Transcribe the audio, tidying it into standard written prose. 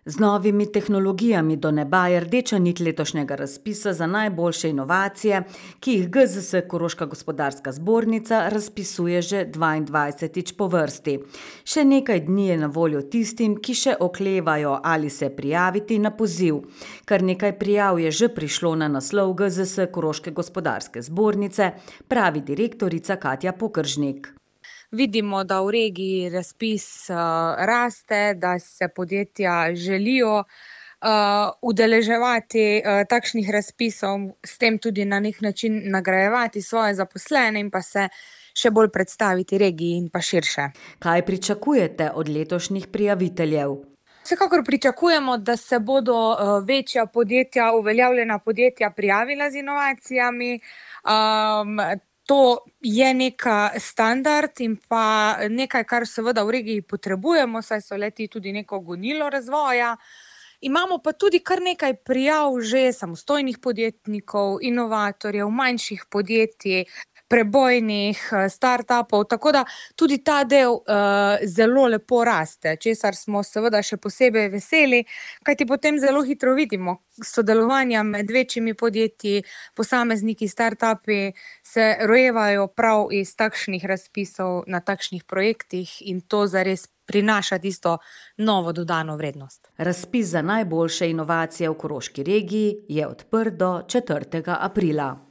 Z novimi tehnologijami do neba je rdeča nit letošnjega razpisa za najboljše inovacije, ki jih GZS Koroška gospodarska zbornica razpisuje že 22. po vrsti. Še nekaj dni je na voljo tistim, ki še oklevajo ali se prijaviti na poziv. Kar nekaj prijav je že prišlo na naslov GZS Koroške gospodarske zbornice, pravi direktorica Katja Pokeržnik. Vidimo, da v regiji razpis raste, da se podjetja želijo udeleževati takšnih razpisov, s tem tudi na nek način nagrajevati svoje zaposlene in pa se še bolj predstaviti regiji in pa širše. Kaj pričakujete od letošnjih prijaviteljev? Vsekakor pričakujemo, da se bodo večja podjetja, uveljavljena podjetja prijavila z inovacijami. To je neka standard in pa nekaj, kar seveda v regiji potrebujemo, saj so le-ti tudi neko gonilo razvoja. Imamo pa tudi kar nekaj prijav že samostojnih podjetnikov, inovatorjev, manjših podjetij, prebojnih startupov, tako da tudi ta del zelo lepo raste, česar smo seveda še posebej veseli, kajti potem zelo hitro vidimo sodelovanja med večjimi podjetji, posamezniki, startupi se rojevajo prav iz takšnih razpisov na takšnih projektih in to zares prinaša tisto novo dodano vrednost. Razpis za najboljše inovacije v Koroški regiji je odprt do 4. aprila.